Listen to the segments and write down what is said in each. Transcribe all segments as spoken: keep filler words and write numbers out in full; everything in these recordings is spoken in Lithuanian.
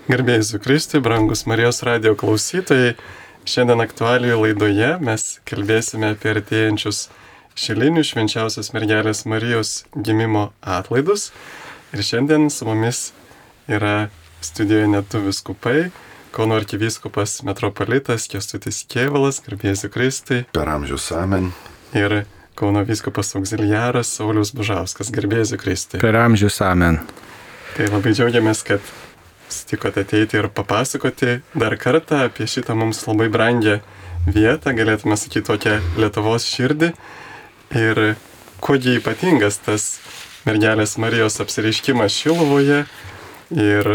Garbėjai Jėzui Kristui, brangus Marijos radijo klausytojai, šiandien aktualijų laidoje mes kalbėsime apie artėjančius šilinių švenčiausios mergelės Marijos gimimo atlaidus. Ir šiandien su mumis yra studijoje net du vyskupai, Kauno arkivyskupas metropolitas Kęstutis Kėvalas, garbėjai Jėzui Kristui. Per amžius amen. Ir Kauno vyskupas auxiliaras Saulius Bužauskas, garbėjai Jėzui Kristui. Per amžius amen. Tai labai džiaugiamės, kad sutikote ateiti ir papasakoti dar kartą apie šitą mums labai brangią vietą, galėtume sakyti tokią Lietuvos širdį. Ir kuogi ypatingas tas mergelės Marijos apsireiškimas Šiluvoje ir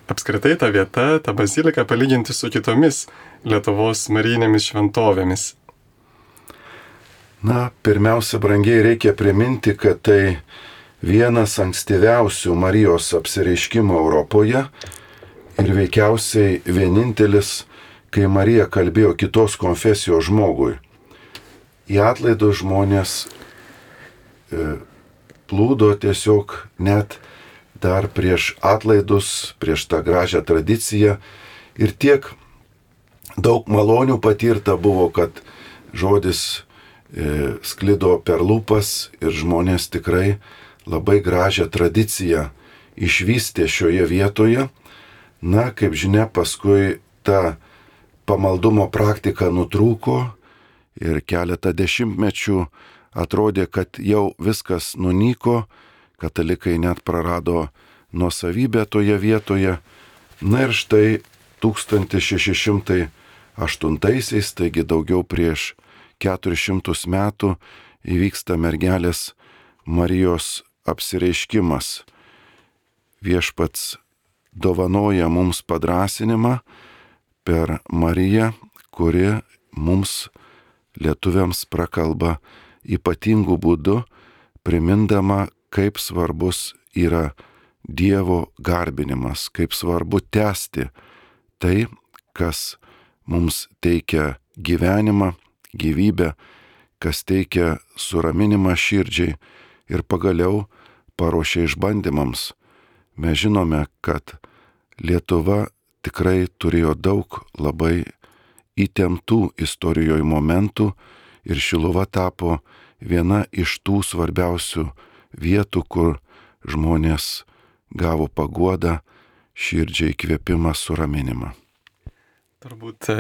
apskritai ta vieta, ta bazilika palyginti su kitomis Lietuvos marijinėmis šventovėmis. Na, pirmiausia, brangiai reikia priminti, kad tai vienas ankstyviausių Marijos apsireiškimų Europoje ir veikiausiai vienintelis, kai Marija kalbėjo kitos konfesijos žmogui. Į atlaidus žmonės e, plūdo tiesiog net dar prieš atlaidus, prieš tą gražią tradiciją ir tiek daug malonių patirta buvo, kad žodis e, sklido per lūpas ir žmonės tikrai labai gražią tradiciją išvystė šioje vietoje. Na, kaip žinia, paskui ta pamaldumo praktika nutrūko ir keletą dešimtmečių atrodė, kad jau viskas nunyko, katalikai net prarado nuosavybę toje vietoje. Na ir štai tūkstantis šeši šimtai aštuntaisiais, taigi daugiau prieš keturis šimtus metų, įvyksta mergelės Marijos apsireiškimas. Viešpats dovanoja mums padrąsinimą per Mariją, kuri mums lietuviams prakalba ypatingų būdų, primindama, kaip svarbus yra Dievo garbinimas, kaip svarbu tęsti tai, kas mums teikia gyvenimą, gyvybę, kas teikia suraminimą širdžiai ir pagaliau paruošia išbandymams. Mes žinome, kad Lietuva tikrai turėjo daug labai įtemptų istorijoje momentų ir Šiluva tapo viena iš tų svarbiausių vietų, kur žmonės gavo paguodą, širdžiai įkvėpimą, suraminimą. Turbūt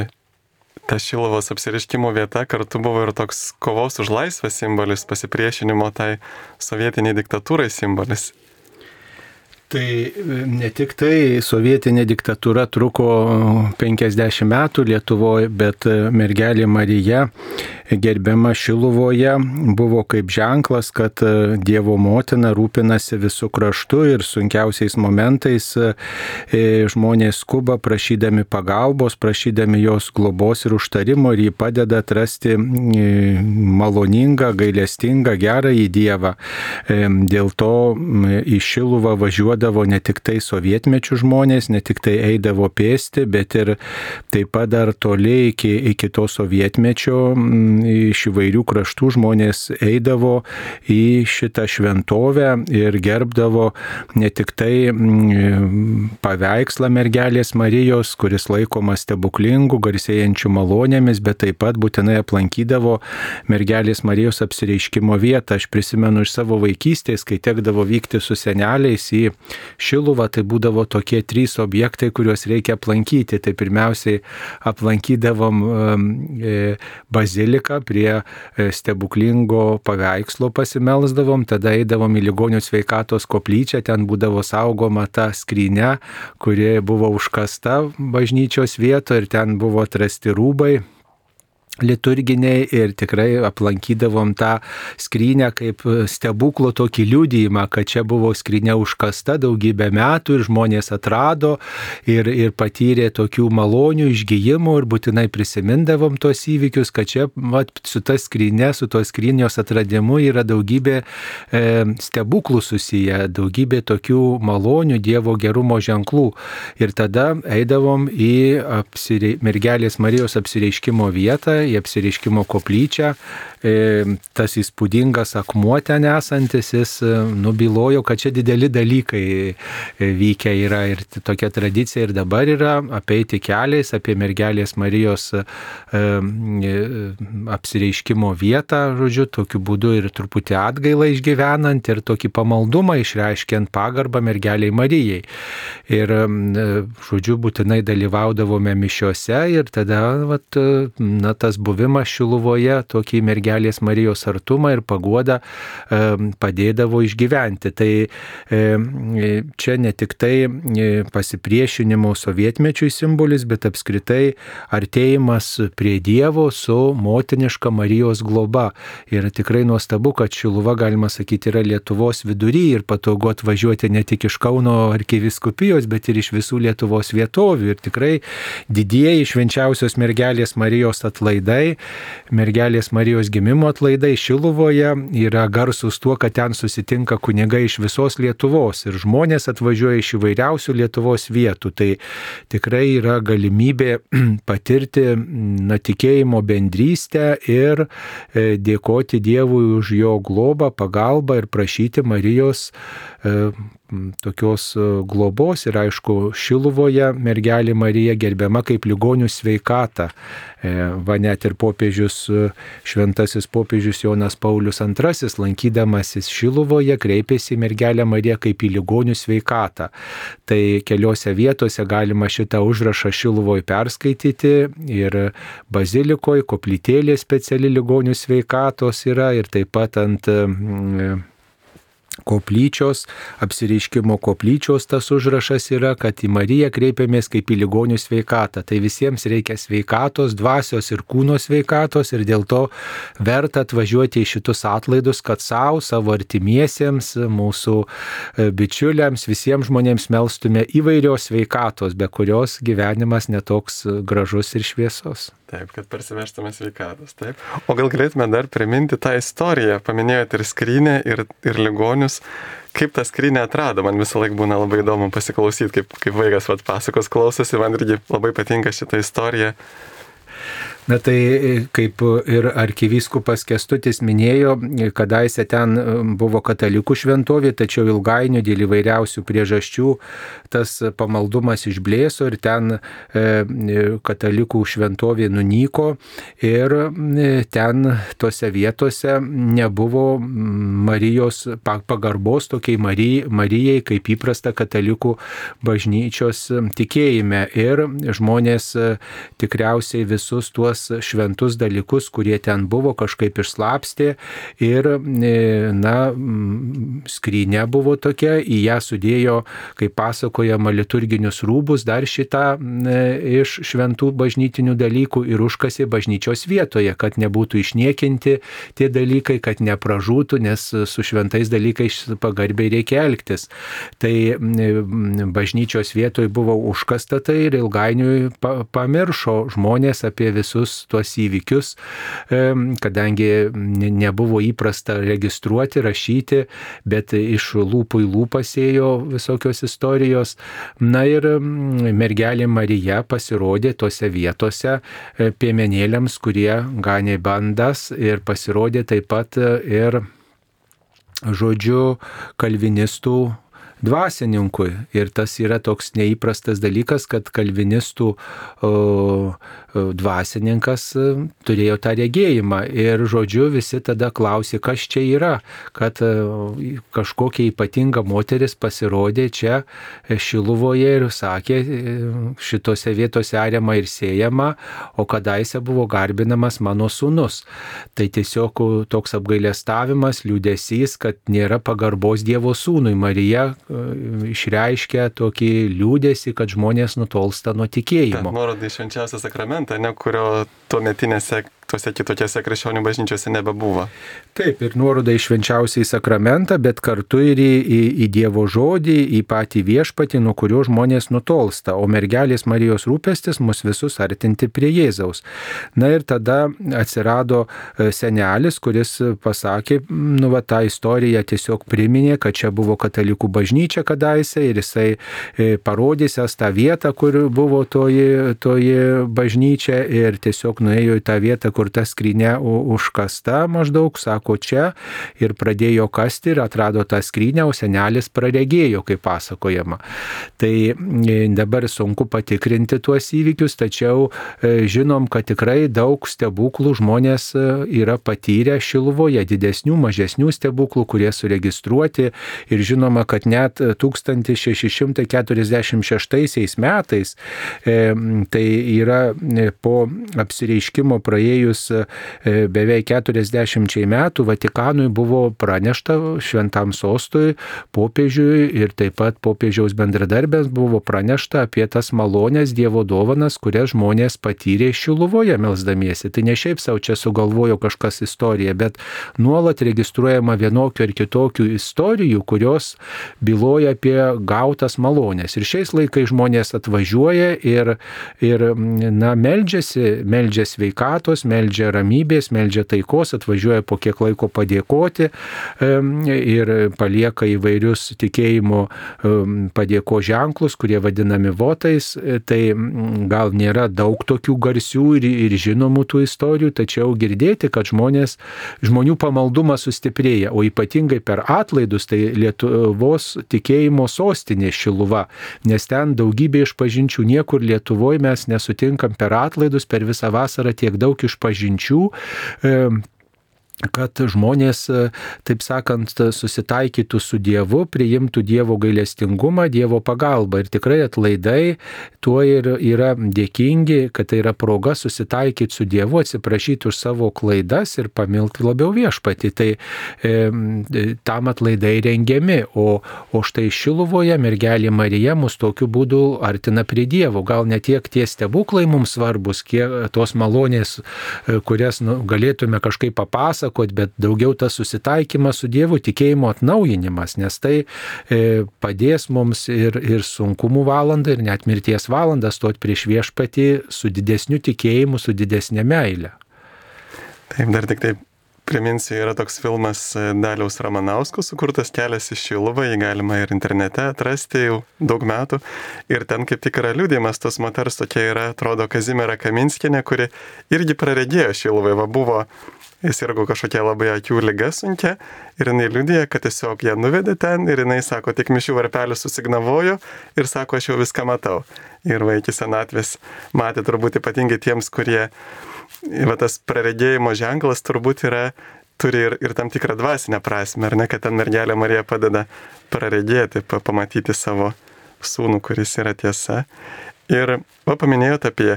ta Šiluvos apsireiškimo vieta kartu buvo ir toks kovos už laisvę simbolis, pasipriešinimo tai sovietiniai diktatūrai simbolis. Tai ne tik tai sovietinė diktatūra truko penkiasdešimt metų Lietuvoje, bet mergelė Marija gerbiama Šiluvoje buvo kaip ženklas, kad Dievo motina rūpinasi visų kraštų ir sunkiausiais momentais žmonės skuba prašydami pagalbos, prašydami jos globos ir užtarimo ir jį padeda atrasti maloningą, gailestingą, gerąjį Dievą. Dėl to į Šiluvą važiuodavo ne tik tai sovietmečių žmonės, ne tik tai eidavo pėsti, bet ir taip pat dar toli iki, iki to sovietmečio iš įvairių kraštų žmonės eidavo į šitą šventovę ir gerbdavo ne tik tai paveikslą mergelės Marijos, kuris laikomas stebuklingu, garsėjančiu malonėmis, bet taip pat būtinai aplankydavo mergelės Marijos apsireiškimo vietą. Aš prisimenu iš savo vaikystės, kai tekdavo vykti su seneliais į Šiluvą, tai būdavo tokie trys objektai, kuriuos reikia aplankyti. Tai pirmiausiai aplankydavom baziliką, prie stebuklingo paveikslo pasimelsdavom, tada eidavom į ligonių sveikatos koplyčią, ten būdavo saugoma ta skrynia, kuri buvo užkasta bažnyčios vietoje ir ten buvo atrasti rūbai liturginiai ir tikrai aplankydavom tą skrynę kaip stebuklo tokį liudijimą, kad čia buvo skrynia užkasta daugybę metų ir žmonės atrado ir, ir patyrė tokių malonių išgijimų ir būtinai prisimindavom tos įvykius, kad čia vat, su ta skryne, su tos skrynios atradimu yra daugybė e, stebuklų susiję, daugybė tokių malonių Dievo gerumo ženklų. Ir tada eidavom į apsirei, mergelės Marijos apsireiškimo vietą, į Apsireiškimo koplyčią. Tas įspūdingas akmuo ten esantis, jis nubylojo, kad čia dideli dalykai vykę yra ir tokia tradicija ir dabar yra apeiti keliais apie mergelės Marijos apsireiškimo vietą, žodžiu, tokiu būdu ir truputį atgailą išgyvenant ir tokį pamaldumą išreiškiant pagarbą mergeliai Marijai. Ir, žodžiu, būtinai dalyvaudavome mišiose ir tada, vat, na, tas buvimas Šiluvoje tokį mergelės Marijos artumą ir paguodą padėdavo išgyventi. Tai čia ne tik tai pasipriešinimo sovietmečiui simbolis, bet apskritai artėjimas prie Dievo su motiniška Marijos globa. Ir tikrai nuostabu, kad Šiluva, galima sakyti, yra Lietuvos vidury ir patogu atvažiuoti ne tik iš Kauno arkivyskupijos, bet ir iš visų Lietuvos vietovių. Ir tikrai didieji švenčiausios mergelės Marijos atlaidai, mergelės Marijos gimimo atlaidai Šiluvoje yra garsūs tuo, kad ten susitinka kunigai iš visos Lietuvos ir žmonės atvažiuoja iš įvairiausių Lietuvos vietų. Tai tikrai yra galimybė patirti na, tikėjimo bendrystę ir dėkoti Dievui už jo globą, pagalbą ir prašyti Marijos tokios globos. Ir aišku, Šiluvoje mergelė Marija gerbiama kaip ligonių sveikata. Va net ir popiežius, šventasis popiežius Jonas Paulius antrasis, lankydamasis Šiluvoje, kreipėsi į mergelę Mariją kaip į ligonių sveikatą. Tai keliose vietose galima šitą užrašą Šiluvoje perskaityti ir bazilikoje koplytėlė speciali ligonių sveikatos yra ir taip pat ant koplyčios, apsireiškimo koplyčios tas užrašas yra, kad į Mariją kreipiamės kaip į ligonių sveikatą. Tai visiems reikia sveikatos, dvasios ir kūno sveikatos ir dėl to verta atvažiuoti į šitus atlaidus, kad savo, savo artimiesiems, mūsų bičiuliams, visiems žmonėms melstume įvairios sveikatos, be kurios gyvenimas netoks gražus ir šviesos. Taip, kad parsivežtume sveikatos, taip. O gal galėtume dar priminti tą istoriją, paminėjote ir skrynę, ir, ir ligonius. Kaip tą skrynę atrado, man visą laiką būna labai įdomu pasiklausyti, kaip, kaip vaikas vat, pasakos klausosi, man irgi labai patinka šitą istoriją. Na tai kaip ir arkivyskupas Kęstutis minėjo, kadaise ten buvo katalikų šventovė, tačiau ilgainiui dėl įvairiausių priežasčių tas pamaldumas išblėso ir ten katalikų šventovė nunyko ir ten tose vietose nebuvo Marijos pagarbos tokiai Marijai, Marijai kaip įprasta katalikų bažnyčios tikėjime. Ir žmonės tikriausiai visus tuos šventus dalykus, kurie ten buvo, kažkaip išslapstė ir, na, skrynė buvo tokia, į ją sudėjo, kaip pasakojama, liturginius rūbus, dar šitą iš šventų bažnytinių dalykų ir užkasė bažnyčios vietoje, kad nebūtų išniekinti tie dalykai, kad nepražūtų, nes su šventais dalykais pagarbiai reikia elgtis. Tai bažnyčios vietoje buvo užkasta tai ir ilgainiui pamiršo žmonės apie visus tuos įvykius, kadangi nebuvo įprasta registruoti, rašyti, bet iš lūpų į lūpas ėjo visokios istorijos. Na ir mergelė Marija pasirodė tose vietose piemenėliams, kurie ganė bandas ir pasirodė taip pat ir, žodžiu, kalvinistų dvasininkui. Ir tas yra toks neįprastas dalykas, kad kalvinistų o, dvasininkas turėjo tą regėjimą. Ir, žodžiu, visi tada klausė, kas čia yra, kad kažkokia ypatinga moteris pasirodė čia Šiluvoje ir sakė, šitose vietose ariama ir sėjama, o kadaise buvo garbinamas mano sūnus. Tai tiesiog toks apgailestavimas, liūdesys, kad nėra pagarbos Dievo sūnui. Marija išreiškia tokį liūdesį, kad žmonės nutolsta nuo tikėjimo. Nuoroda į švenčiausią sakramentą, ne, kurio tuometinėse tuose kitokiose krikščionių bažnyčiose nebebuvo. Taip, ir nuoroda į švenčiausiąjį sakramentą, bet kartu ir į, į, į Dievo žodį, į patį viešpatį, nuo kurio žmonės nutolsta, o mergelės Marijos rūpestis mus visus artinti prie Jėzaus. Na ir tada atsirado senelis, kuris pasakė, nu va, tą istoriją tiesiog priminė, kad čia buvo katalikų bažnyčia kadaise ir jisai parodysęs tą vietą, kur buvo toji, toji bažnyčia ir tiesiog nuėjo į tą vietą, kur ta skrynia užkasta maždaug, sako čia, ir pradėjo kasti ir atrado tą skrynią, o senelis praregėjo, kaip pasakojama. Tai dabar sunku patikrinti tuos įvykius, tačiau žinom, kad tikrai daug stebuklų žmonės yra patyrę Šiluvoje, didesnių, mažesnių stebuklų, kurie suregistruoti, ir žinoma, kad net tūkstantis šeši šimtai keturiasdešimt šeštaisiais metais, tai yra po apsireiškimo praėjus beveik keturiasdešimčiai metų, Vatikanui buvo pranešta, šventam sostui, popiežiui ir taip pat popiežiaus bendradarbėms buvo pranešta apie tas malonės Dievo dovanas, kurias žmonės patyrė Šiluvoje melsdamiesi. Tai ne šiaip savo čia sugalvojo kažkas istoriją, bet nuolat registruojama vienokių ir kitokių istorijų, kurios byloja apie gautas malonės. Ir šiais laikais žmonės atvažiuoja ir, ir na, meldžiasi, meldžia sveikatos, meldžia ramybės, meldžia taikos, atvažiuoja po kiek laiko padėkoti ir palieka įvairius tikėjimo padėko ženklus, kurie vadinami votais. Tai gal nėra daug tokių garsių ir, ir žinomų tų istorijų, tačiau girdėti, kad žmonės, žmonių pamaldumas sustiprėja, o ypatingai per atlaidus, tai Lietuvos tikėjimo sostinė Šiluva, nes ten daugybė išpažinčių, niekur Lietuvoje mes nesutinkam per atlaidus, per visą vasarą tiek daug išpažinčių, kad žmonės, taip sakant, susitaikytų su Dievu, priimtų Dievo gailestingumą, Dievo pagalbą. Ir tikrai atlaidai tuo ir yra dėkingi, kad tai yra proga susitaikyti su Dievu, atsiprašyti už savo klaidas ir pamilti labiau viešpatį. Tai e, tam atlaidai rengiami, o, o štai Šiluvoje mergelė Marija mus tokiu būdu artina prie Dievo. Gal ne tiek tie stebuklai mums svarbus, kiek tos malonės, kurias nu, galėtume kažkaip papasakoti, bet daugiau tas susitaikymas su Dievu, tikėjimo atnaujinimas, nes tai e, padės mums ir, ir sunkumų valandą, ir net mirties valandą stoti prieš viešpatį su didesniu tikėjimu, su didesnė meile. Taip, dar tik taip priminsiu, yra toks filmas Daliaus Ramanausko sukurtas Kelias į Šiluvą, jį galima ir internete atrasti jau daug metų. Ir ten kaip tik yra liudijimas tos moters, tokia yra, atrodo, Kazimiera Kaminskienė, kuri irgi praregėjo Šiluvai, va buvo, jis irgo kažkokia labai akių liga sunkia ir jinai liudija, kad tiesiog ją nuvedė ten ir jinai sako, tik mišių varpelį susignavojo ir sako, aš jau viską matau. Ir va iki senatvės matė turbūt ypatingai tiems, kurie va tas praregėjimo ženklas turbūt yra, turi ir, ir tam tikrą dvasinę prasme, ar ne, kad ten mergelė Marija padeda praregėti, pamatyti savo sūnų, kuris yra tiesa. Ir va paminėjote apie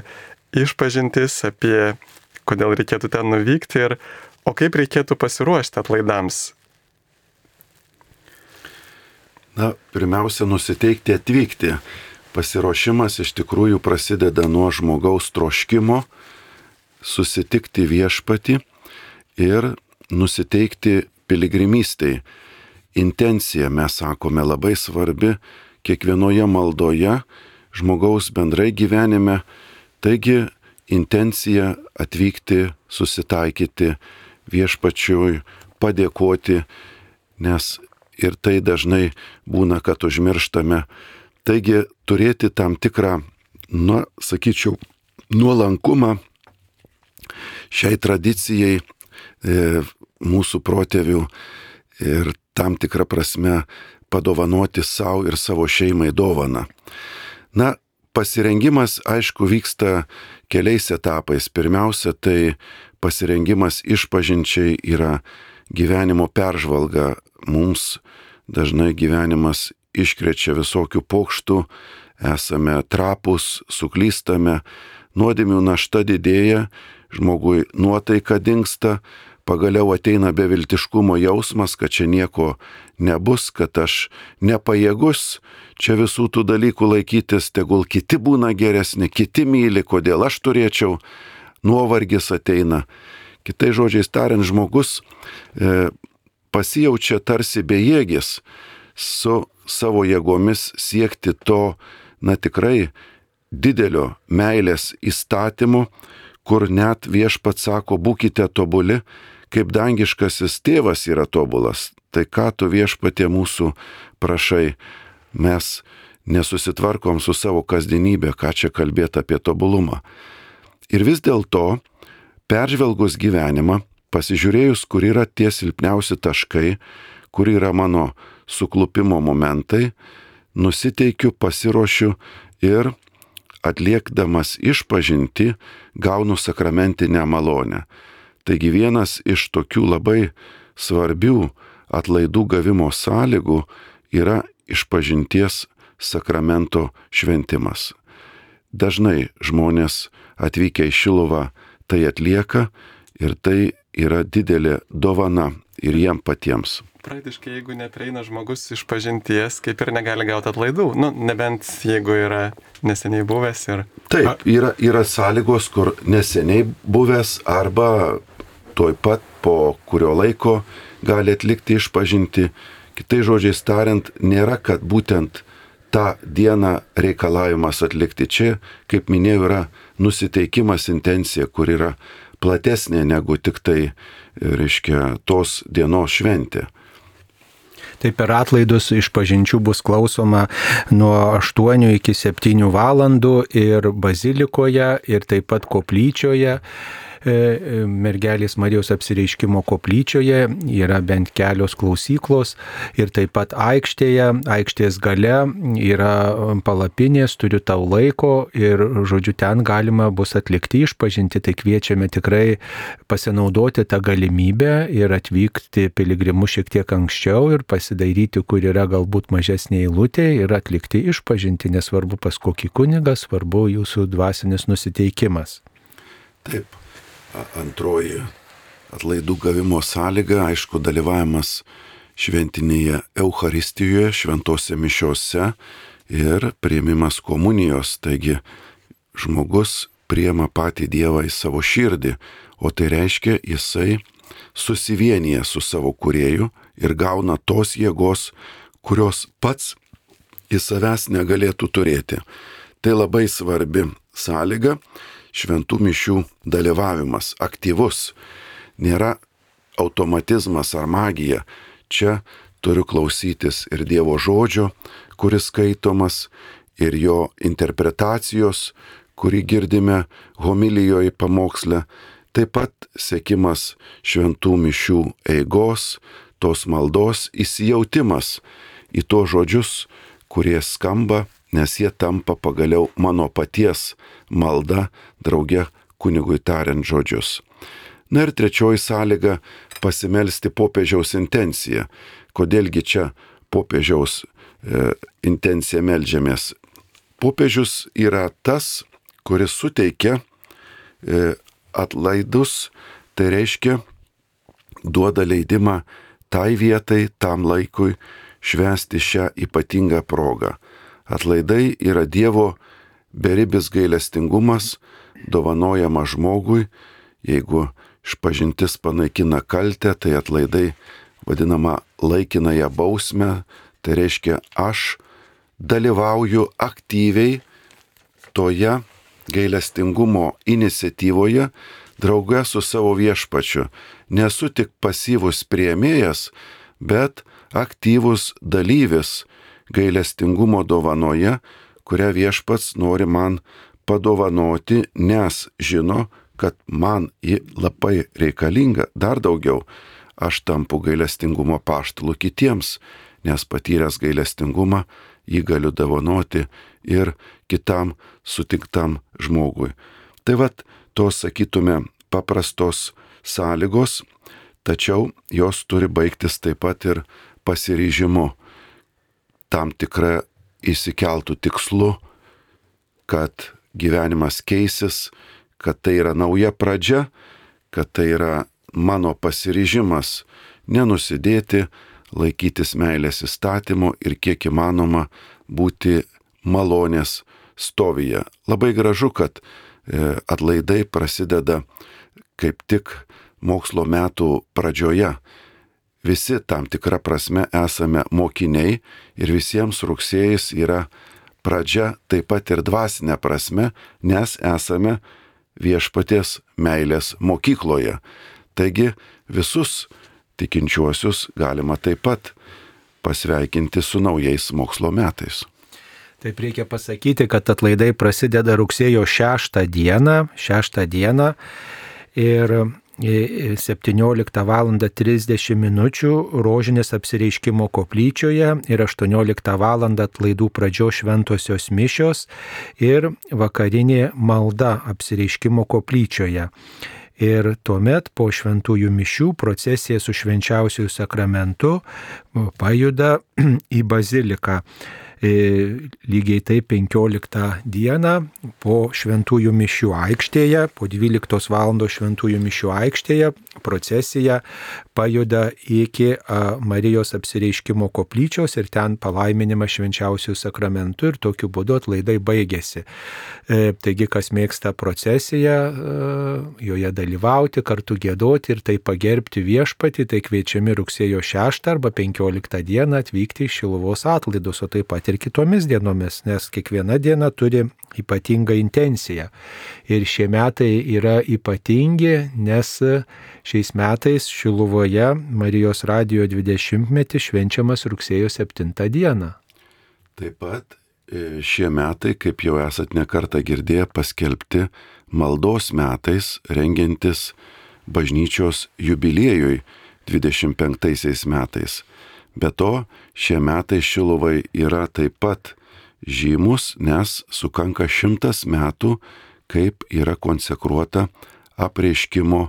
išpažintis, apie kodėl reikėtų ten nuvykti ir o kaip reikėtų pasiruošti atlaidams. Na, pirmiausia, nusiteikti atvykti. Pasiruošimas iš tikrųjų prasideda nuo žmogaus troškimo, susitikti viešpatį ir nusiteikti piligrimystei. Intencija, mes sakome, labai svarbi kiekvienoje maldoje, žmogaus bendrai gyvenime. Taigi, intencija atvykti, susitaikyti viešpačiui, padėkoti, nes ir tai dažnai būna, kad užmirštame. Taigi, turėti tam tikrą, na, sakyčiau, nuolankumą šiai tradicijai e, mūsų protėvių ir tam tikrą prasme padovanoti savo ir savo šeimai dovaną. Na, pasirengimas, aišku, vyksta keliais etapais. Pirmiausia, tai pasirengimas išpažinčiai yra gyvenimo peržvalga. Mums dažnai gyvenimas iškrečia visokių pokštų, esame trapūs, suklystame, nuodėmių našta didėja, žmogui nuotaika dingsta, pagaliau ateina beviltiškumo jausmas, kad čia nieko nebus, kad aš nepajėgus čia visų tų dalykų laikytis, tegul kiti būna geresni, kiti myli, kodėl aš turėčiau, nuovargis ateina. Kitais žodžiais tariant, žmogus e, pasijaučia tarsi bejėgis su savo jėgomis siekti to, na tikrai, didelio meilės įstatymu, kur net viešpats sako, būkite tobuli, kaip dangiškasis tėvas yra tobulas. Tai ką tu viešpatie mūsų prašai, mes nesusitvarkom su savo kasdienybė, ką čia kalbėti apie tobulumą. Ir vis dėlto peržvelgus gyvenimą, pasižiūrėjus, kur yra tie silpniausi taškai, kur yra mano suklupimo momentai, nusiteikiu, pasiruošiu ir atliekdamas išpažinti gaunu sakramentinę malonę. Taigi vienas iš tokių labai svarbių atlaidų gavimo sąlygų yra išpažinties sakramento šventimas. Dažnai žmonės atvykę į Šiluvą tai atlieka ir tai yra didelė dovana ir jiem patiems. Praktiškai, jeigu neprieina žmogus iš pažinties, kaip ir negali gauti atlaidų. Nu, nebent jeigu yra neseniai buvęs ir... Taip, yra, yra sąlygos, kur neseniai buvęs arba tuoj pat po kurio laiko gali atlikti išpažinti. Kitai žodžiais tariant, nėra, kad būtent tą dieną reikalavimas atlikti. Čia, kaip minėjau, yra nusiteikimas, intencija, kur yra platesnė negu tik tai, reiškia, tos dienos šventė. Tai per atlaidus išpažinčių bus klausoma nuo aštuonių iki septynių valandų ir bazilikoje, ir taip pat koplyčioje. Mergelės Marijos apsireiškimo koplyčioje yra bent kelios klausyklos ir taip pat aikštėje, aikštės gale yra palapinės, turiu tau laiko ir, žodžiu, ten galima bus atlikti išpažinti, tai kviečiame tikrai pasinaudoti tą galimybę ir atvykti piligrimu šiek tiek anksčiau ir pasidairyti, kur yra galbūt mažesnė eilutė ir atlikti išpažinti, nesvarbu pas kokį kunigą, svarbu jūsų dvasinis nusiteikimas. Taip. Antroji atlaidų gavimo sąlyga, aišku, dalyvavimas šventinėje Eucharistijoje, šventose mišiose ir priėmimas komunijos. Taigi žmogus priima patį Dievą į savo širdį, o tai reiškia, jisai susivienyje su savo kūrėju ir gauna tos jėgos, kurios pats į savęs negalėtų turėti. Tai labai svarbi sąlyga. Šventų mišių dalyvavimas, aktyvus, nėra automatizmas ar magija. Čia turiu klausytis ir Dievo žodžio, kuris skaitomas, ir jo interpretacijos, kurį girdime homilijoje pamoksle, taip pat sekimas šventų mišių eigos, tos maldos įsijautimas į tos žodžius, kurie skamba, nes jie tampa pagaliau mano paties malda, drauge kunigui tariant žodžius. Na ir trečioji sąlyga - pasimelsti popiežiaus intenciją. Kodėlgi čia popiežiaus e, intenciją meldžiamės? Popiežius yra tas, kuris suteikia e, atlaidus, tai reiškia duoda leidimą tai vietai, tam laikui švęsti šią ypatingą progą. Atlaidai yra Dievo beribis gailestingumas, dovanojama žmogui. Jeigu išpažintis panaikina kaltę, tai atlaidai vadinama laikinąją bausmę. Tai reiškia, aš dalyvauju aktyviai toje gailestingumo iniciatyvoje, drauge su savo viešpačiu. Nesu tik pasyvus priėmėjas, bet aktyvus dalyvis gailestingumo dovanoje, kurią viešpats nori man padovanoti, nes žino, kad man ji labai reikalinga. Dar daugiau, aš tampu gailestingumo apaštalu kitiems, nes patyręs gailestingumą jį galiu dovanoti ir kitam sutiktam žmogui. Tai vat, tos, sakytume, paprastos sąlygos, tačiau jos turi baigtis taip pat ir pasiryžimu, tam tikrą įsikeltų tikslu, kad gyvenimas keisis, kad tai yra nauja pradžia, kad tai yra mano pasiryžimas nenusidėti, laikytis meilės įstatymo ir kiek įmanoma būti malonės stovyje. Labai gražu, kad atlaidai prasideda kaip tik mokslo metų pradžioje. Visi tam tikrą prasme esame mokiniai ir visiems rugsėjais yra pradžia taip pat ir dvasinė prasme, nes esame viešpaties meilės mokykloje. Taigi visus tikinčiuosius galima taip pat pasveikinti su naujais mokslo metais. Taip reikia pasakyti, kad atlaidai prasideda rugsėjo šeštą dieną, šeštą dieną ir septynioliktą valandą trisdešimt minučių rožinės apsireiškimo koplyčioje ir aštuonioliktą valandą atlaidų pradžios šventosios mišios ir vakarinė malda apsireiškimo koplyčioje. Ir tuomet po šventųjų mišių procesija su švenčiausiųjų sakramentu pajuda į baziliką. Lygiai taip penkioliktą dieną po šventųjų mišių aikštėje, po dvyliktos valandos šventųjų mišių aikštėje procesija pajuda iki Marijos apsireiškimo koplyčios ir ten palaiminimas švenčiausiųjų sakramentų ir tokiu būdu atlaidai baigėsi. Taigi, kas mėgsta procesiją, joje dalyvauti, kartu giedoti ir tai pagerbti viešpatį, tai kviečiami rugsėjo šeštą arba penkioliktą dieną atvykti į Šiluvos atlaidus, o taip pat ir kitomis dienomis, nes kiekviena diena turi ypatingą intenciją. Ir šie metai yra ypatingi, nes šiais metais Šiluvoje Marijos radijo dvidešimtmetis švenčiamas rugsėjo septintą dieną. Taip pat šie metai, kaip jau esat nekartą girdėję, paskelbti maldos metais, rengiantis bažnyčios jubiliejui dvidešimt penktaisiais metais. Be to, šie metai Šiluvai yra taip pat žymus, nes sukanka šimtas metų, kaip yra konsekruota apreiškimo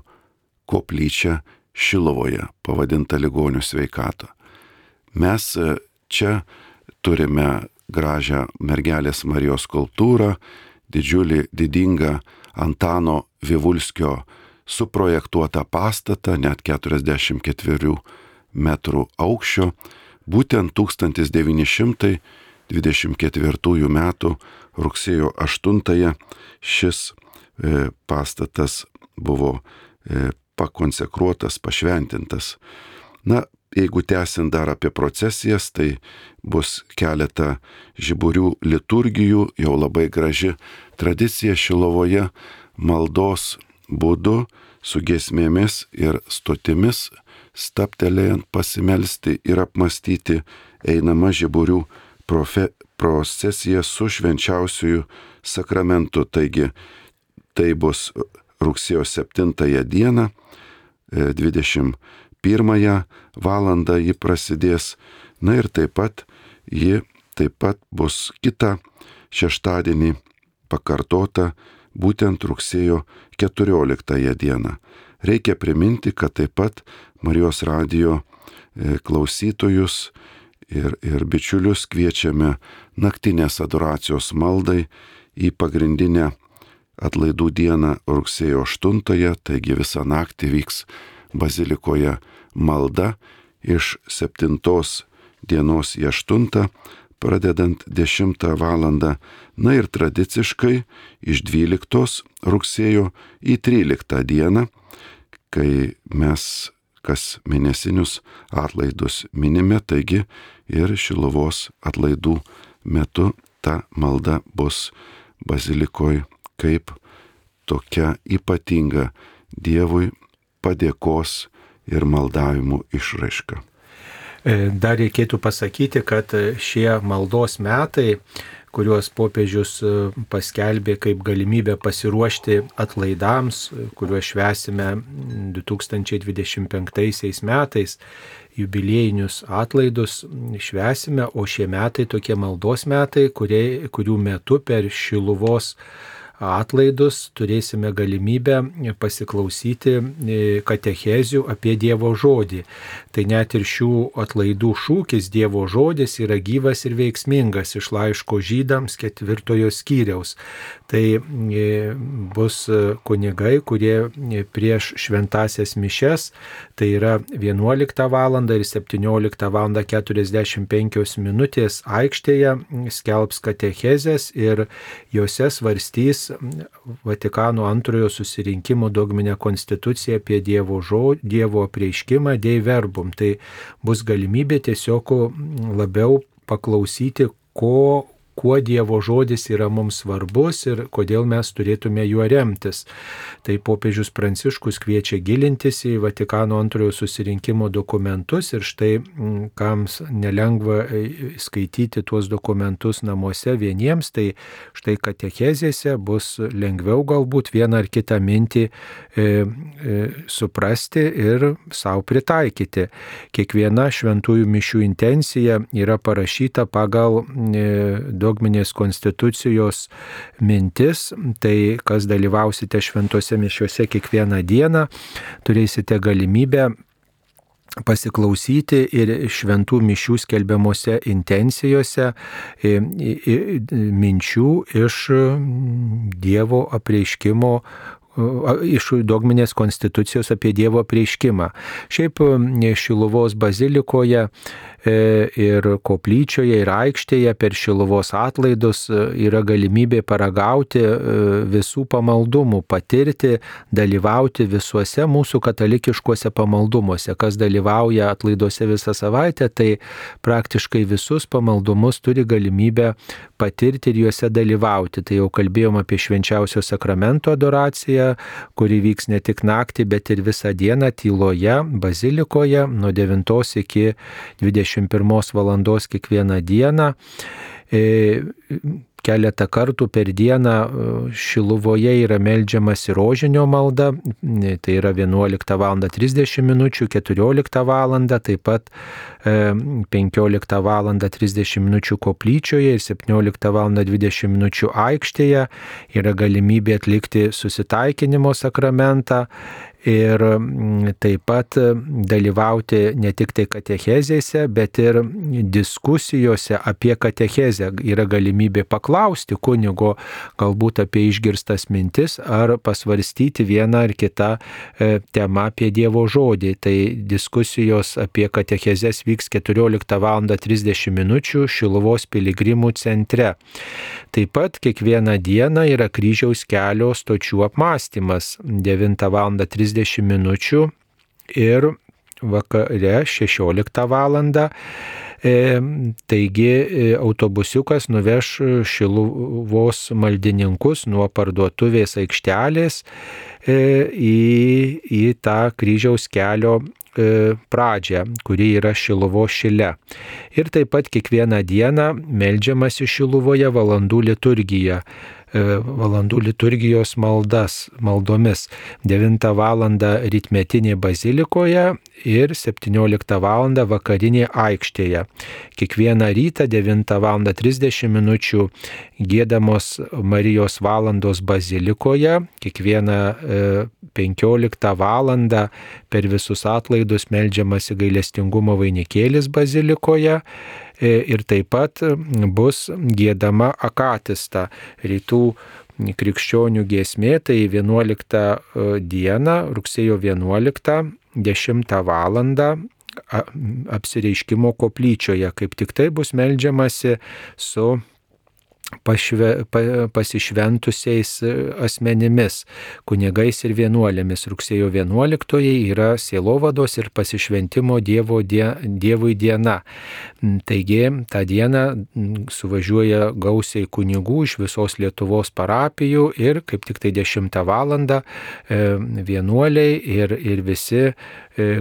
koplyčia Šiluvoje, pavadinta Ligonių sveikato. Mes čia turime gražią mergelės Marijos skulptūrą, didžiulį, didingą Antano Vivulskio suprojektuotą pastatą, net keturiasdešimt ketverių metrų aukščio. Būtent tūkstantis devyni šimtai dvidešimt ketvirtųjų metų rugsėjo aštuntąją šis e, pastatas buvo e, pakonsekruotas, pašventintas. Na, jeigu tęsiant dar apie procesijas, tai bus keletą žiburių liturgijų, jau labai graži tradicija Šiluvoje, maldos būdu su giesmėmis ir stotimis, staptelėjant pasimelsti ir apmastyti einama žiburių profe, procesija su švenčiausiųjų sakramentu. Taigi tai bus rugsėjo septintąją dieną, dvidešimt pirmąją valandą ji prasidės. Na ir taip pat ji taip pat bus kitą šeštadienį pakartota būtent rugsėjo keturioliktąją dieną. Reikia priminti, kad taip pat Marijos radijo klausytojus ir, ir bičiulius kviečiame naktinės adoracijos maldai į pagrindinę atlaidų dieną rugsėjo aštuntąją, taigi visą naktį vyks bazilikoje malda iš septintos dienos į aštuntą, pradedant dešimtą valandą, na ir tradiciškai iš dvyliktos rugsėjo į tryliktą dieną, kai mes kas mėnesinius atlaidus minime, taigi ir Šiluvos atlaidų metu ta malda bus bazilikoje kaip tokia ypatinga Dievui padėkos ir maldavimų išraiška. Dar reikėtų pasakyti, kad šie maldos metai, kuriuos popiežius paskelbė kaip galimybę pasiruošti atlaidams, kuriuos švęsime du tūkstančiai dvidešimt penktaisiais metais, jubiliejinius atlaidus švęsime, o šie metai tokie maldos metai, kurie, kurių metu per Šiluvos atlaidus turėsime galimybę pasiklausyti katechezių apie Dievo žodį. Tai net ir šių atlaidų šūkis Dievo žodis yra gyvas ir veiksmingas iš laiško žydams ketvirtojo skyriaus. Tai bus kunigai, kurie prieš šventasias mišias, tai yra vienuoliktą valandą ir septynioliktą valandą keturiasdešimt penkios minutės aikštėje skelbs katechezės ir jose svarstys Vatikano antrojo susirinkimo dogminę konstituciją apie Dievo žodį, Dievo apreiškimą, Dei verbum. Tai bus galimybė tiesiog labiau paklausyti, ko kuo Dievo žodis yra mums svarbus ir kodėl mes turėtume juo remtis. Tai popiežius Pranciškus kviečia gilintis į Vatikano antrojo susirinkimo dokumentus ir štai kams nelengva skaityti tuos dokumentus namuose vieniems, tai štai katechezėse bus lengviau galbūt vieną ar kitą mintį e, e, suprasti ir savo pritaikyti. Kiekviena šventųjų mišių intencija yra parašyta pagal e, dogminės konstitucijos mintis, tai kas dalyvausite šventose mišiuose kiekvieną dieną, turėsite galimybę pasiklausyti ir šventų mišių skelbiamose intencijose minčių iš Dievo apreiškimo, iš dogminės konstitucijos apie Dievo apreiškimą. Šiaip Šiluvos bazilikoje ir koplyčioje, ir aikštėje per Šiluvos atlaidus yra galimybė paragauti visų pamaldumų, patirti, dalyvauti visuose mūsų katalikiškuose pamaldumuose. Kas dalyvauja atlaiduose visą savaitę, tai praktiškai visus pamaldumus turi galimybę patirti ir juose dalyvauti. Tai jau kalbėjom apie švenčiausio sakramento adoraciją, kuri vyks ne tik naktį, bet ir visą dieną tyloje, bazilikoje, nuo devintos iki dvidešimt pirmos valandos kiekvieną dieną. Keletą kartų per dieną Šiluvoje yra meldžiamasi rožinio malda, tai yra vienuoliktą valandą trisdešimt minučių, keturioliktą valandą, taip pat penkioliktą valandą trisdešimt minučių koplyčioje ir septynioliktą valandą dvidešimt minučių aikštėje. Yra galimybė atlikti susitaikinimo sakramentą ir taip pat dalyvauti ne tik tai katechezėse, bet ir diskusijose apie katechezę. Yra galimybė paklausti kunigo galbūt apie išgirstas mintis ar pasvarstyti vieną ar kitą temą apie Dievo žodį. Tai diskusijos apie katechezes vyks keturioliktą valandą trisdešimt minučių Šiluvos piligrimų centre. Taip pat kiekvieną dieną yra kryžiaus kelio stočių apmąstymas devintą valandą trisdešimt minučių ir vakare šešioliktą valandą. E, taigi autobusiukas nuveš Šiluvos maldininkus nuo parduotuvės aikštelės e, į, į tą kryžiaus kelio pradžią, kuri yra Šiluvos šile. Ir taip pat kiekvieną dieną meldžiamasi Šiluvoje valandų liturgija, valandų liturgijos maldas, maldomis. devintą valandą rytmetinė bazilikoje ir septynioliktą valandą vakarinė aikštėje. Kiekvieną rytą devintą valandą trisdešimt minučių giedamos Marijos valandos bazilikoje, kiekvieną penkioliktą valandą per visus atlaidus meldžiamasi gailestingumo vainikėlis bazilikoje. Ir taip pat bus giedama akatista, rytų krikščionių giesmė, tai vienuoliktą dieną, rugsėjo vienuoliktą, dešimtą valandą apsireiškimo koplyčioje. Kaip tik tai bus meldžiamasi su Pašve, pa, pasišventusiais asmenimis, kunigais ir vienuolėmis. Rugsėjo vienuoliktoji yra sielovados ir pasišventimo dievo die, Dievui diena. Taigi tą dieną suvažiuoja gausiai kunigų iš visos Lietuvos parapijų ir kaip tik tai dešimtą valandą vienuoliai ir, ir visi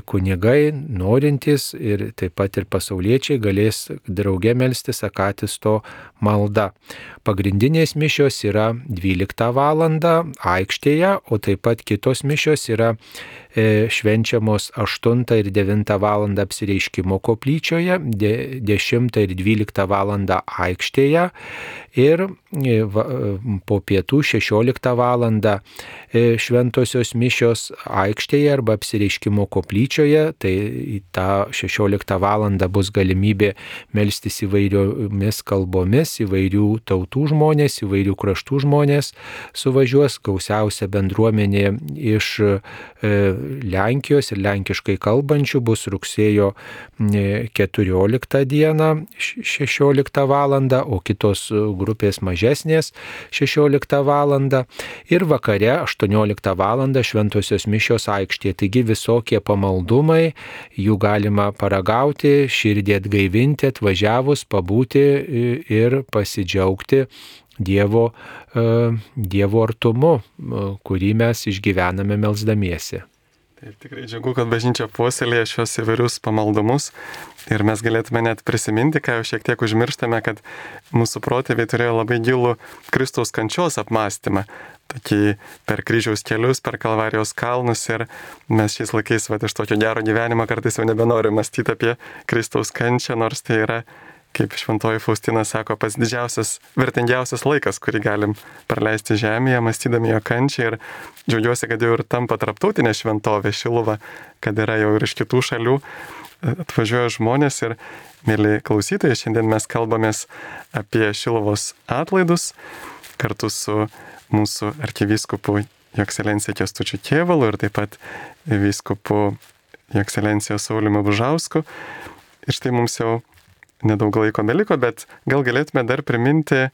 kunigai, norintys ir taip pat ir pasauliečiai galės drauge melstis akatisto malda. Pagrindinės mišios yra dvyliktą valandą aikštėje, o taip pat kitos mišios yra e, švenčiamos aštuntą ir devintą valandą apsireiškimo koplyčioje, de, dešimtą ir dvyliktą valandą aikštėje ir e, va, po pietų šešioliktą valandą e, šventosios mišios aikštėje arba apsireiškimo koplyčioje. Tai tą šešioliktą valandą bus galimybė melstis įvairiomis kalbomis, įvairių tautų žmonės, įvairių kraštų žmonės suvažiuos, gausiausia bendruomenė iš Lenkijos ir lenkiškai kalbančių bus rugsėjo keturioliktą dieną šešioliktą valandą, o kitos grupės mažesnės šešioliktą valandą ir vakare aštuonioliktą valandą šventosios mišios aikštėje. Taigi visokie pamaldumai, jų galima paragauti, širdį atgaivinti, atvažiavus, pabūti ir pasidžiaugti Dievo, Dievo artumu, kurį mes išgyvename melsdamiesi. Taip, tikrai džiugu, kad bažnyčia puoselėja šios įvairius pamaldumus ir mes galėtume net prisiminti, ką jau šiek tiek užmirštame, kad mūsų protėviai turėjo labai gilų Kristaus kančios apmąstymą, tokį per kryžiaus kelius, per Kalvarijos kalnus ir mes šiais laikais va, iš tokio gero gyvenimo kartais jau nebenorime mąstyti apie Kristaus kančią, nors tai yra, kaip šventoji Faustina sako, pats didžiausias, vertingiausias laikas, kurį galim praleisti žemėje, mąstydami jo kančią ir džiaugiuosi, kad jau ir tampa tarptautinė šventovė Šiluva, kad yra jau ir iš kitų šalių atvažiuoja žmonės ir, mėly klausytojai, šiandien mes kalbamės apie Šiluvos atlaidus kartu su mūsų arkivyskupu Jo Ekscelencija Kęstučiu Kėvalu ir taip pat vyskupu Jo Ekscelencija Sauliumi Bužausku. Ir štai mums jau nedaug laiko beliko, bet gal galėtume dar priminti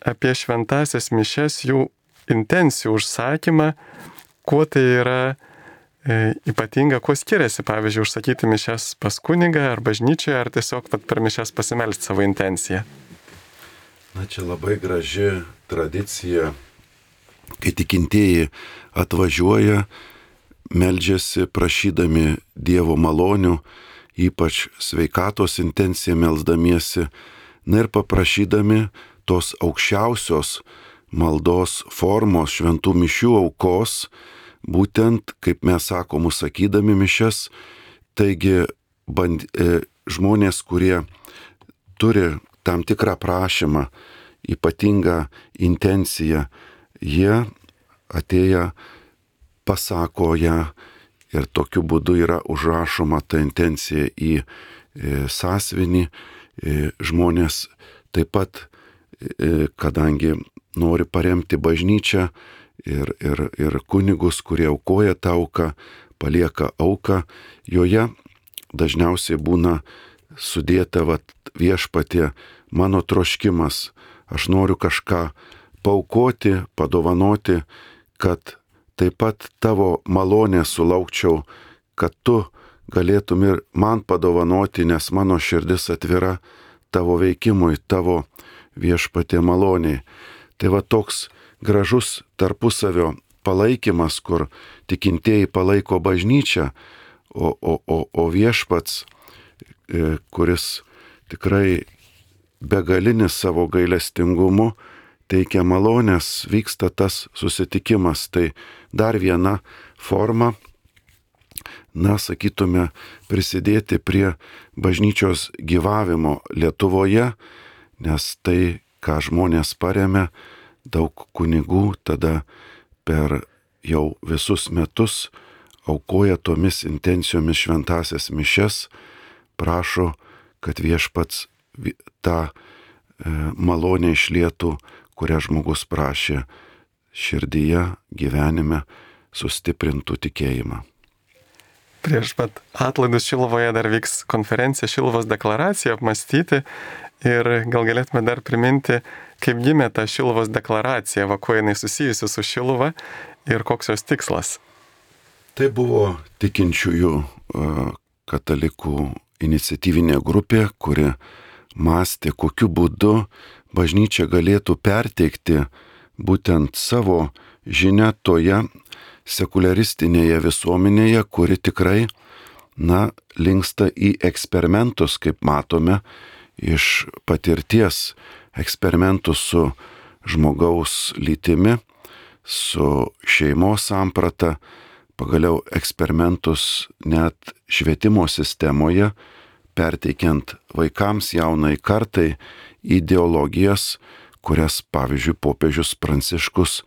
apie šventasias mišias, jų intencijų užsakymą, kuo tai yra e, ypatinga, kuo skiriasi, pavyzdžiui, užsakyti mišias pas kunigą ar bažnyčioje, ar tiesiog pat per mišias pasimelsti savo intenciją. Na, čia labai graži tradicija, kai tikintieji atvažiuoja, meldžiasi prašydami Dievo malonių, ypač sveikatos intenciją melsdamiesi, na ir paprašydami tos aukščiausios maldos formos šventų mišių aukos, būtent, kaip mes sakom, sakydami mišias, taigi band, e, žmonės, kurie turi tam tikrą prašymą, ypatingą intenciją, jie atėję pasako ją ir tokiu būdu yra užrašoma ta intencija į e, sąsiuvinį. E, žmonės taip pat, e, kadangi nori paremti bažnyčią ir, ir, ir kunigus, kurie aukoja tą auką, palieka auką, joje dažniausiai būna sudėta vat, viešpatie mano troškimas, aš noriu kažką paaukoti, padovanoti, kad taip pat tavo malonę sulaukčiau, kad tu galėtum ir man padovanoti, nes mano širdis atvira tavo veikimui, tavo viešpatie maloniai. Tai va toks gražus tarpusavio palaikymas, kur tikintieji palaiko bažnyčią, o, o, o, o viešpats, kuris tikrai begalinis savo gailestingumu teikia malonės, vyksta tas susitikimas. Tai dar viena forma, na, sakytume, prisidėti prie bažnyčios gyvavimo Lietuvoje, nes tai, ką žmonės paremia, daug kunigų tada per jau visus metus aukoja tomis intencijomis šventasias mišias, prašo, kad viešpats tą malonę išlietų, kurią žmogus prašė širdyje, gyvenime, sustiprintų tikėjimą. Prieš pat atlaidus Šiluvoje dar vyks konferencija Šiluvos deklaracija apmastyti ir gal galėtume dar priminti, kaip gimė ta Šiluvos deklaracija, va kuo jinai susijusi su Šiluva ir koks jos tikslas. Tai buvo tikinčiųjų katalikų iniciatyvinė grupė, kuri mąstė, kokiu būdu bažnyčia galėtų perteikti būtent savo žinią toje sekuliaristinėje visuomenėje, kuri tikrai, na, linksta į eksperimentus, kaip matome, iš patirties eksperimentų su žmogaus lytimi, su šeimos samprata, pagaliau eksperimentus net švietimo sistemoje, perteikiant vaikams, jaunai kartai, ideologijas, kurias, pavyzdžiui, popiežius Pranciškus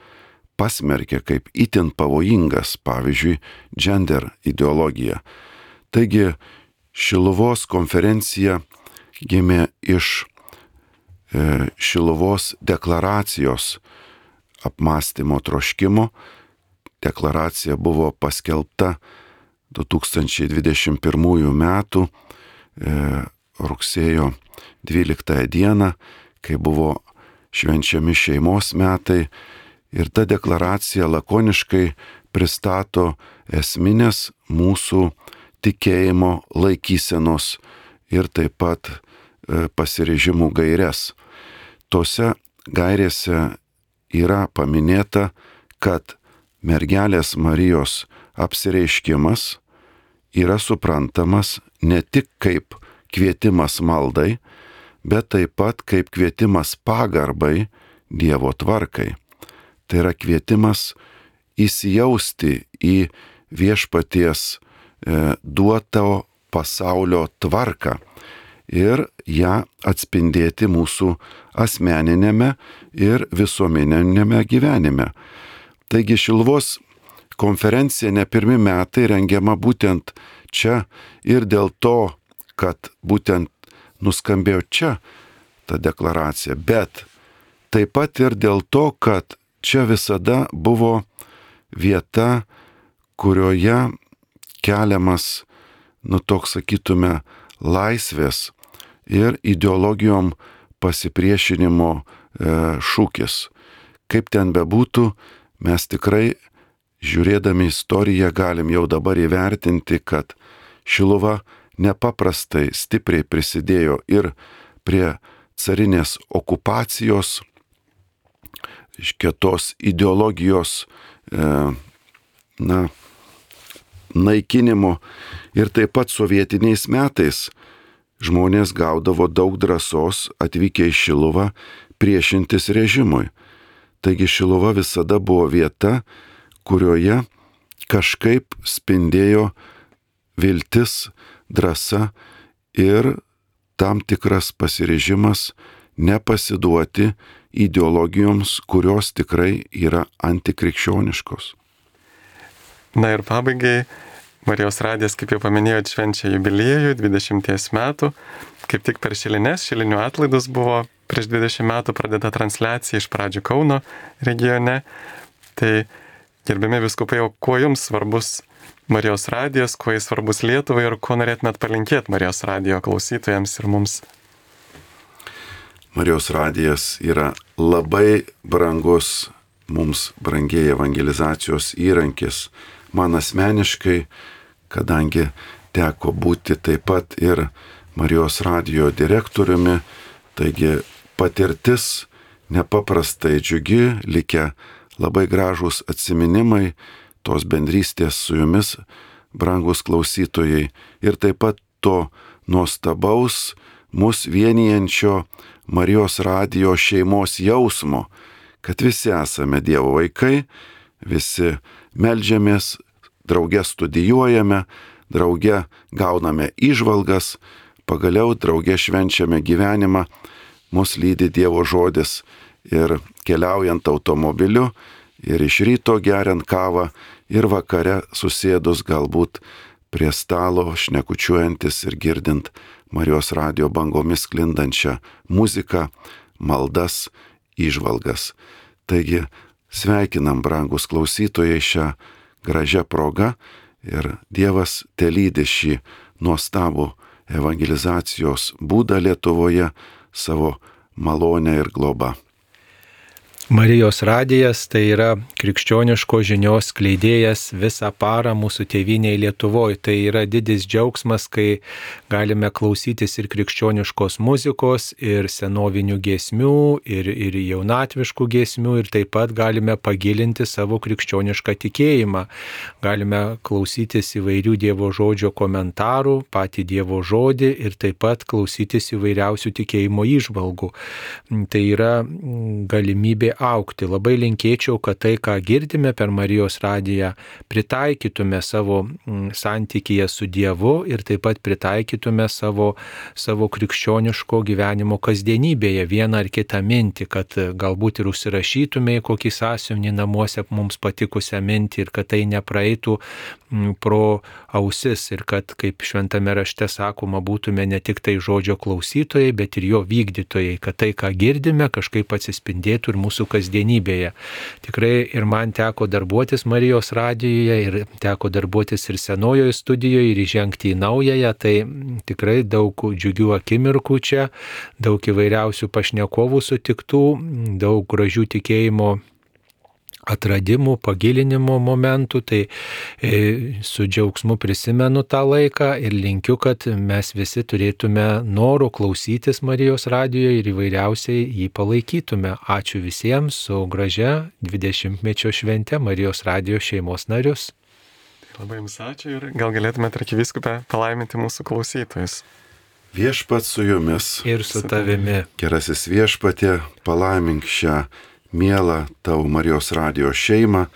pasmerkė kaip itin pavojingas, pavyzdžiui, gender ideologija. Taigi Šiluvos konferencija gimė iš Šiluvos deklaracijos apmąstymo troškimo. Deklaracija buvo paskelbta du tūkstančiai dvidešimt pirmųjų metų rugsėjo dvyliktąją dieną, kai buvo švenčiami šeimos metai, ir ta deklaracija lakoniškai pristato esminės mūsų tikėjimo laikysenos ir taip pat pasiryžimų gaires. Tose gairėse yra paminėta, kad mergelės Marijos apsireiškimas yra suprantamas ne tik kaip kvietimas maldai, bet taip pat kaip kvietimas pagarbai Dievo tvarkai. Tai yra kvietimas įsijausti į viešpaties e, duoto pasaulio tvarką ir ją atspindėti mūsų asmeninėme ir visuomeninėme gyvenime. Taigi Šiluvos konferencija ne pirmi metai rengiama būtent čia ir dėl to, kad būtent nuskambėjo čia ta deklaracija, bet taip pat ir dėl to, kad čia visada buvo vieta, kurioje keliamas, nu toks sakytume, laisvės ir ideologijom pasipriešinimo e, šūkis. Kaip ten bebūtų, mes tikrai, žiūrėdami istoriją, galim jau dabar įvertinti, kad Šiluva nepaprastai stipriai prisidėjo ir prie carinės okupacijos, iškėtos ideologijos e, na, naikinimo, ir taip pat sovietiniais metais žmonės gaudavo daug drąsos atvykę į Šiluvą priešintis režimui. Taigi Šiluva visada buvo vieta, kurioje kažkaip spindėjo viltis, drąsa ir tam tikras pasiryžimas nepasiduoti ideologijoms, kurios tikrai yra antikrikščioniškos. Na ir pabaigai, Marijos radijas, kaip jau paminėjot, švenčia jubiliejų dvidešimties metų. Kaip tik per Šilines, Šilinių atlaidus buvo prieš dvidešimt metų pradėta transliacija iš pradžių Kauno regione. Tai gerbiami vyskupai, kuo jums svarbus Marijos radijas, kuo jis svarbus Lietuvai ir ko norėtumėt palinkėti Marijos radijo klausytojams ir mums? Marijos radijas yra labai brangus, mums brangiai evangelizacijos įrankis. Man asmeniškai, kadangi teko būti taip pat ir Marijos radijo direktoriumi, taigi patirtis nepaprastai džiugi, likę labai gražūs atsiminimai tos bendrystės su jumis, brangus klausytojai, ir taip pat to nuostabaus mus vienijančio Marijos radijo šeimos jausmo, kad visi esame Dievo vaikai, visi meldžiamės, drauge studijuojame, drauge gauname įžvalgas, pagaliau drauge švenčiame gyvenimą, mus lydi Dievo žodis ir keliaujant automobiliu, ir iš ryto geriant kavą, ir vakare susėdus galbūt prie stalo, šnekučiuojantis ir girdint Marijos radijo bangomis sklindančią muziką, maldas, įžvalgas. Taigi sveikinam, brangus klausytojai, šią gražią progą ir Dievas telydi šį nuostabų evangelizacijos būdą Lietuvoje savo malonę ir globą. Marijos radijas tai yra krikščioniško žinios skleidėjas visą parą mūsų tėvynėje Lietuvoje. Tai yra didis džiaugsmas, kai galime klausytis ir krikščioniškos muzikos, ir senovinių giesmių, ir, ir jaunatviškų giesmių, ir taip pat galime pagilinti savo krikščionišką tikėjimą. Galime klausytis įvairių Dievo žodžio komentarų, patį Dievo žodį, ir taip pat klausytis įvairiausių tikėjimo įžvalgų. Tai yra galimybė aukti. Labai linkėčiau, kad tai, ką girdime per Marijos radiją, pritaikytume savo santykyje su Dievu ir taip pat pritaikytume savo, savo krikščioniško gyvenimo kasdienybėje vieną ar kitą mintį, kad galbūt ir užsirašytume į kokį sąsiuvinį namuose mums patikusią mintį ir kad tai nepraeitų pro ausis ir kad, kaip šventame rašte sakoma, būtume ne tik tai žodžio klausytojai, bet ir jo vykdytojai, kad tai, ką girdime, kažkaip atsispindėtų ir mūsų kasdienybėje. Tikrai ir man teko darbuotis Marijos radijoje ir teko darbuotis ir senojoje studijoje ir įžengti į naująją, tai tikrai daug džiugių akimirkų čia, daug įvairiausių pašnekovų sutiktų, daug gražių tikėjimo atradimų, pagilinimo momentų, tai e, su džiaugsmu prisimenu tą laiką ir linkiu, kad mes visi turėtume norų klausytis Marijos radijoje ir įvairiausiai jį palaikytume. Ačiū visiems su gražia dvidešimtmečio švente Marijos radijos šeimos narius. Labai jums ačiū ir gal galėtumėte, arkivyskupė, palaiminti mūsų klausytojus. Viešpats su jumis. Ir su tavimi. Gerasis viešpatie, palaimink šią mielą tavo Marijos radijos šeimą,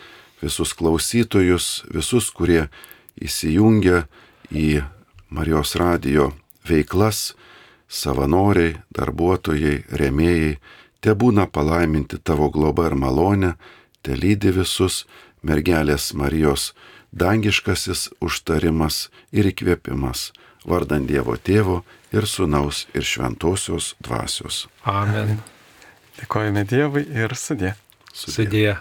visus klausytojus, visus, kurie įsijungia į Marijos radijo veiklas, savanoriai, darbuotojai, rėmėjai, te būna palaiminti tavo globa ir malonė, te lydi visus mergelės Marijos dangiškasis užtarimas ir įkvėpimas, vardant Dievo Tėvo ir Sūnaus ir Šventosios Dvasios. Amen. Dėkojame Dievui ir sudie. Sudie.